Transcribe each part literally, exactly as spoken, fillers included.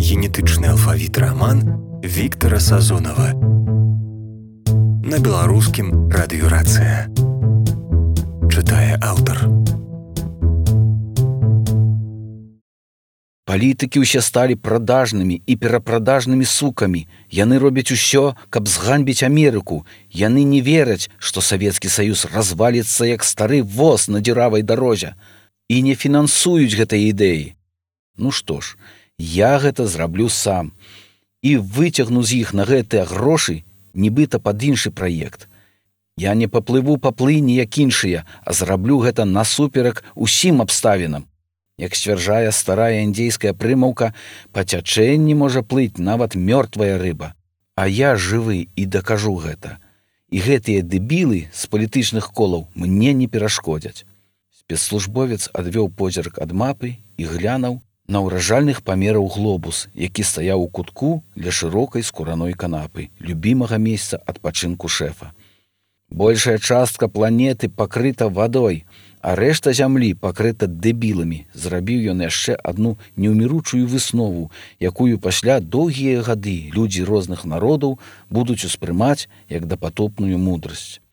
Генетычны алфавіт раман Віктара Сазонава. На беларускім радыёрацыя. Чытае аўтар. Палітыкі ўсе сталі прадажнымі і перапрадажнымі сукамі. Яны робяць усё, каб зганьбіць Амерыку. Яны не вераць, што Савецкі Саюз разваліцца як стары воз на дзіравай дарозе. І не фінансуюць гэтай ідэі. Ну што ж, я гэта зраблю сам. І выцягну з іх на гэтыя грошы, нібыта пад іншы праект. Я не паплыву па плыні, як іншыя, а зраблю гэта насуперак усім абставінам. Як сцвярджае старая індзейская прымаўка, па цячэнні можа плыць нават мёртвая рыба. А я жывы і дакажу гэта. І гэтыя дэбілы з палітычных колаў мне не перашкодзяць. Спецслужбовец адвёў позірк ад мапы і глянуў на ўражальных памераў глобус, які стаяў у кутку ля шырокай скураной канапы, любімага месца адпачынку шэфа. Большая частка планеты пакрыта вадой, а рэшта зямлі пакрыта дэбіламі. Зрабіў ён яшчэ адну неўміручую выснову, якую пасля доўгія гады людзі розных народаў будуць успрымаць як дапатопную мудрасць.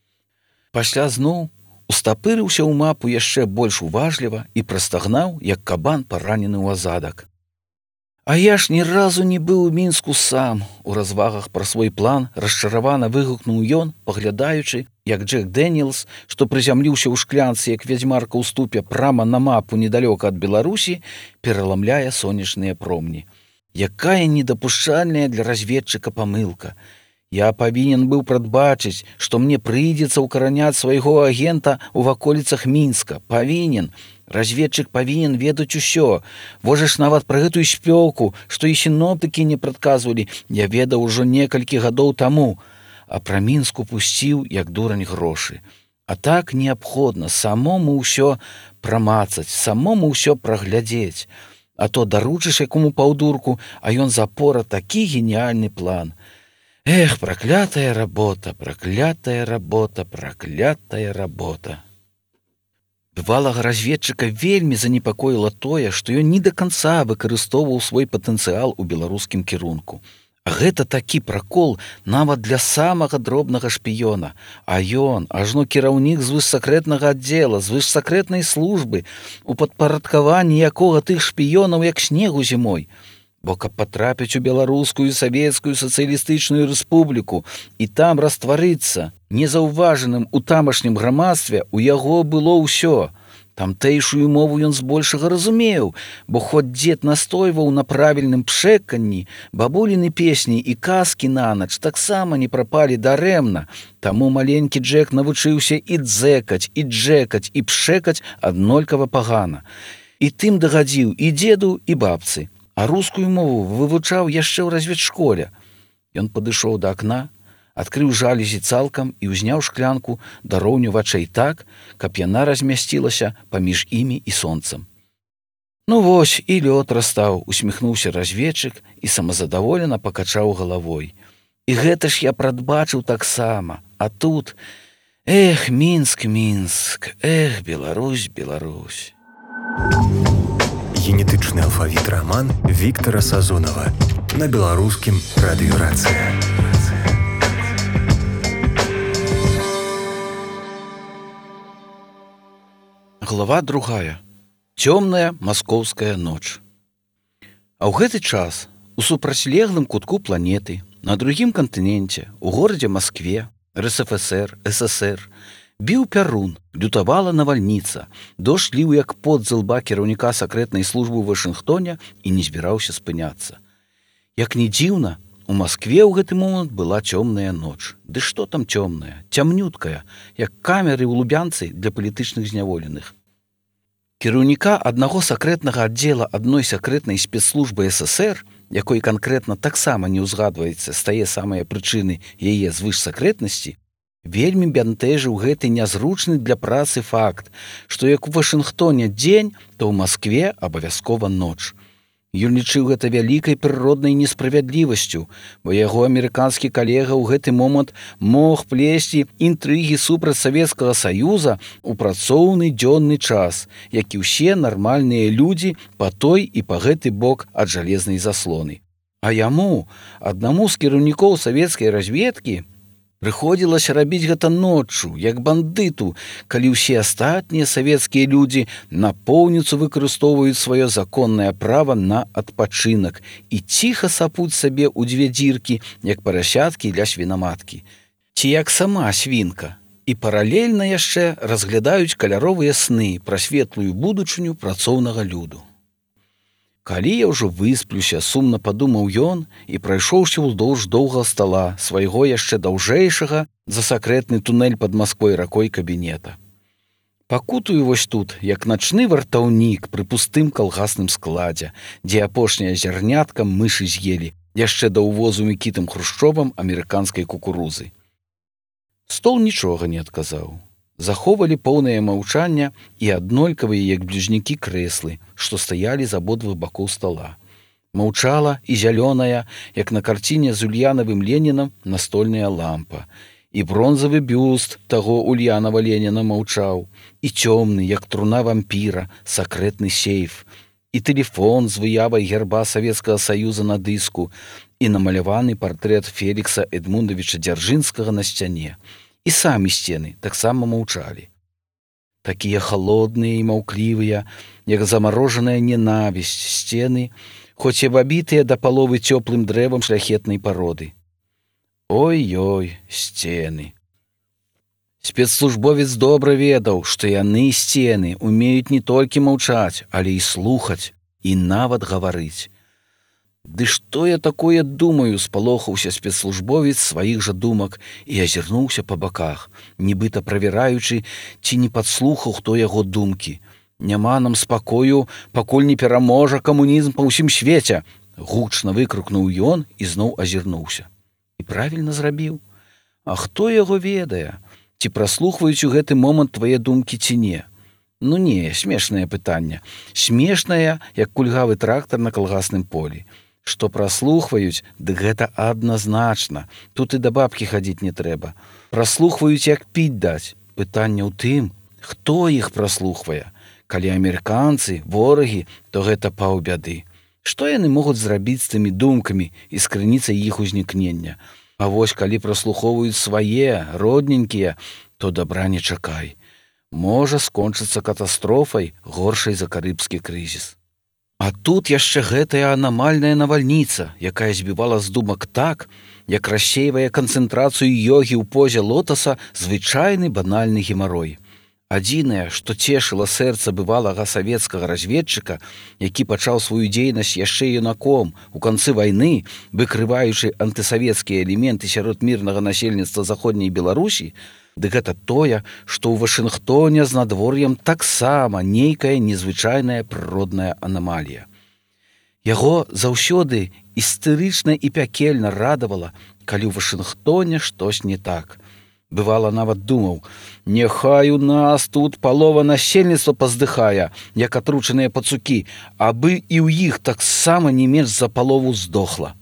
Пасля зноў устапырыўся ў мапу яшчэ больш уважліва і прастагнаў, як кабан паранены ў азадак. А я ж ні разу не быў у Мінску сам. У развагах пра свой план расчаравана выгукнуў ён, паглядаючы, як Джек Дэніелс, што прызямліўся ў шклянцы, як вядзьмарка ў ступе прама на мапу недалёка ад Беларусі, пераламляе сонечныя промні. Якая недапушчальная для разведчыка памылка. Я павінен быў прадбачыць, што мне прыйдзецца ўкараняць свайго агента ў ваколіцах Мінска. Павінен. Разведчык павінен ведаць усё. Вожа ж нават пра гэтую спёку, што і сіноптыкі не прадказвалі, я ведаў ужо некалькі гадоў таму, а пра Мінск упусціў, як дурань, грошы. А так неабходна самому ўсё прамацаць, самому ўсё праглядзець. А то даручыш якому паўдурку, а ён запора такі геніяльны план. Эх, праклятая работа, праклятая работа, праклятая работа. Бывалага разведчыка вельмі занепакоіла тое, што ён не да канца выкарыстоўваў свой патэнцыял у беларускім кірунку. А гэта такі пракол нават для самага дробнага шпіёна. А ён, ажно кіраўнік звышсакрэтнага аддзела, звышсакрэтнай службы, у падпарадкаванні якога тых шпіёнаў як снегу зімой. Бо каб патрапіць у беларускую савецкую сацыялістычную рэспубліку і там растварыцца, незаўважаным у тамашнім грамадстве, у яго было ўсё. Тамтэйшую мову ён збольшага разумеў, бо хоць дзед настойваў на правільным пшэканні, бабуліны песні і казкі нанач таксама не прапалі дарэмна. Таму маленькі Джек навучыўся і дзэкаць, і джэкаць, і пшэкаць аднолькава пагана. І тым дагадзіў і дзеду, і бабцы. А рускую мову вывучаў яшчэ ў разведшколе. Ён падышоў да акна, адкрыў жалезі цалкам і ўзняў шклянку да роўню вачэй так, каб яна размясцілася паміж імі і сонцам. Ну вось, і лёд растаў, усміхнуўся разведчык і самазадаволена пакачаў галавой. І гэта ж я прадбачыў таксама. А тут, эх, Мінск, Мінск, эх, Беларусь, Беларусь. Генетычны алфавіт раман Віктара Сазонава. На беларускім радыёрацыя. Глава другая. Цёмная маскоўская ноч. А ў гэты час у супрацьлеглым кутку планеты, на другім кантыненце, у горадзе Маскве, РСФСР, ССР, біў пярун, лютавала навальніца, дождж ліў як пот з лба кіраўніка сакрэтнай службы ў Вашынгтоне і не збіраўся спыняцца. Як не дзіўна, у Маскве ў гэты момант была цёмная ноч. Ды што там цёмная, цямнюткая, як камеры ў Лубянцы для палітычных зняволеных. Кіраўніка аднаго сакрэтнага аддзела адной сакрэтнай спецслужбы ССР, якой канкрэтна таксама не ўзгадваецца з тае самыя прычыны яе звышсакрэтнасці, вельмі бянтэжыў гэты нязручны для працы факт, што як у Вашынгтоне дзень, то ў Маскве абавязкова ноч. Ён лічыў гэта вялікай прыроднай несправядлівасцю, бо яго амерыканскі калега ў гэты момант мог плесці інтрыгі супраць Савецкага Саюза ў працоўны дзённы час, як і ўсе нармальныя людзі па той і па гэты бок ад жалезнай заслоны. А яму, аднаму з кіраўнікоў савецкай разведкі, прыходзілася рабіць гэта ноччу, як бандыту, калі ўсе астатнія савецкія людзі напоўніцу выкарыстоўваюць сваё законнае права на адпачынак і ціха сапуць сабе ў дзве дзіркі, як парасяткі ля свінаматкі. Ці як сама свінка. І паралельна яшчэ разглядаюць каляровыя сны пра светлую будучыню працоўнага люду. Калі я ўжо высплюся, сумна падумаў ён і прайшоўся ўздоўж доўгага стала свайго яшчэ даўжэйшага за сакрэтны тунэль пад Масквой ракой кабінета. Пакутую вось тут, як начны вартаўнік пры пустым калгасным складзе, дзе апошняя зярнятка мышы з'елі, яшчэ да ўвозу Мікітам Хрушчовам амерыканскай кукурузы. Стол нічога не адказаў. Заховалі поўнае маўчання і аднолькавыя, як бліжнікі, крэслы, што стаялі з абодвух бакоў стола. Маўчала і зялёная, як на карціне з Ульянавым Ленінам, настольная лампа. І бронзавы бюст таго Ульянава Леніна маўчаў, і цёмны, як труна вампіра, сакрэтны сейф, і тэлефон з выявай герба Савецкага Саюза на дыску, і намаляваны партрэт Фелікса Эдмундавіча Дзяржынскага на сцяне. І самі сцены таксама маўчалі. Такія халодныя і маўклівыя, як замарожаная ненавісць сцены, хоць і абітыя да паловы цёплым дрэвам шляхетнай пароды. Ой-ой, сцены. Спецслужбовец добра ведаў, што яны, сцены, умеюць не толькі маўчаць, але і слухаць, і нават гаварыць. Ды што я такое думаю, спалохаўся спецслужбовец сваіх жа думак і азірнуўся па баках, нібыта правяраючы, ці не падслухаў хто яго думкі. Няма нам спакою, пакуль не пераможа камунізм па ўсім свеце, гучна выкрыкнуў ён і зноў азірнуўся. І правільна зрабіў. А хто яго ведае? Ці праслухваюць у гэты момант твае думкі ці не? Ну не, смешнае пытанне. Смешнае, як кульгавы трактар на калгасным полі. Што праслухваюць, дык гэта адназначна. Тут і да бабкі хадзіць не трэба. Праслухваюць, як піць даць. Пытанне ў тым, хто іх праслухвае. Калі амерыканцы, ворагі, то гэта паўбяды. Што яны могуць зрабіць з тымі думкамі і з крыніцай іх узнікнення? А вось калі праслухоўваюць свае, родненькія, то дабра не чакай. Можа скончыцца катастрофай, горшай за карыбскі крызіс. А тут яшчэ гэтая анамальная навальніца, якая збівала з думак так, як рассейвае канцэнтрацыю йогі ў позе лотаса звычайны банальны гемарой. Адзінае, што цешыла сэрца бывалага савецкага разведчыка, які пачаў сваю дзейнасць яшчэ юнаком у канцы вайны, выкрываючы антысавецкія элементы сярод мірнага насельніцтва заходняй Беларусі, дык гэта тое, што ў Вашынгтоне з надвор'ем таксама нейкая незвычайная прыродная анамалія. Яго заўсёды істэрычна і пякельна радавала, калі ў Вашынгтоне штось не так. Бывала, нават думаў, няхай у нас тут палова насельніцтва паздыхае, як атручаныя пацукі, абы і ў іх таксама не менш за палову здохла.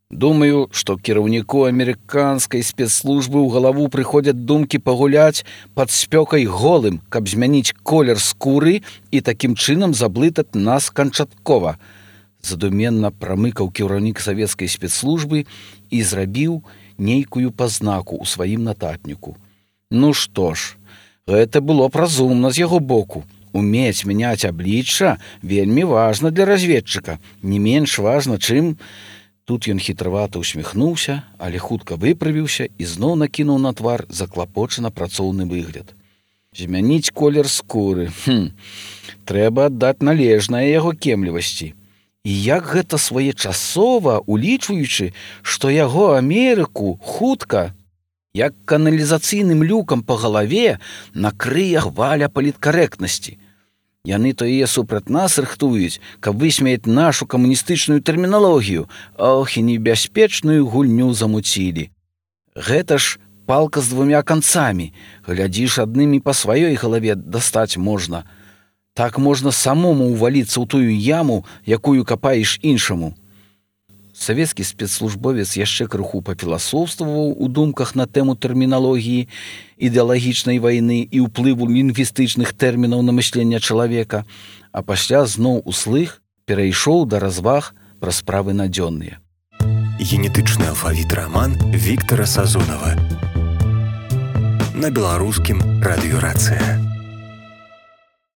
Думаю, што кіраўніку амерыканскай спецслужбы ў галаву прыходзяць думкі пагуляць пад спёкай голым, каб змяніць колер скуры і такім чынам заблытаць нас канчаткова. Задуменна прамыкаў кіраўнік савецкай спецслужбы і зрабіў нейкую пазнаку ў сваім нататніку. Ну што ж, гэта было б разумна з яго боку. Умець мяняць аблічча вельмі важна для разведчыка, не менш важна, чым... Тут ён хітравата усміхнуўся, але хутка выправіўся і зноў накінуў на твар заклапочана працоўны выгляд. Змяніць колер скуры. Хм, трэба аддаць належнае яго кемлівасці. І як гэта своечасова, улічваючы, што яго Амерыку хутка, як каналізацыйным люкам па галаве, накрые хваля паліткарэктнасці. Яны то яе супраць нас рыхтуюць, каб высмеяць нашу камуністычную тэрміналогію, ох, і небяспечную гульню замуцілі. Гэта ж палка з двумя канцамі, глядзіш, аднымі па сваёй галаве дастаць можна. Так можна самому ўваліцца ў тую яму, якую капаеш іншаму. Савецкі спецслужбовец яшчэ крыху пафіласофстваваў у думках на тэму тэрміналогіі, ідэалагічнай вайны і ўплыву лінгвістычных тэрмінаў на мысленне чалавека, а пасля зноў услых перайшоў да разваг пра справы надзённыя. генетычны алфавіт раман Віктара Сазонава на беларускім радыёрацыя.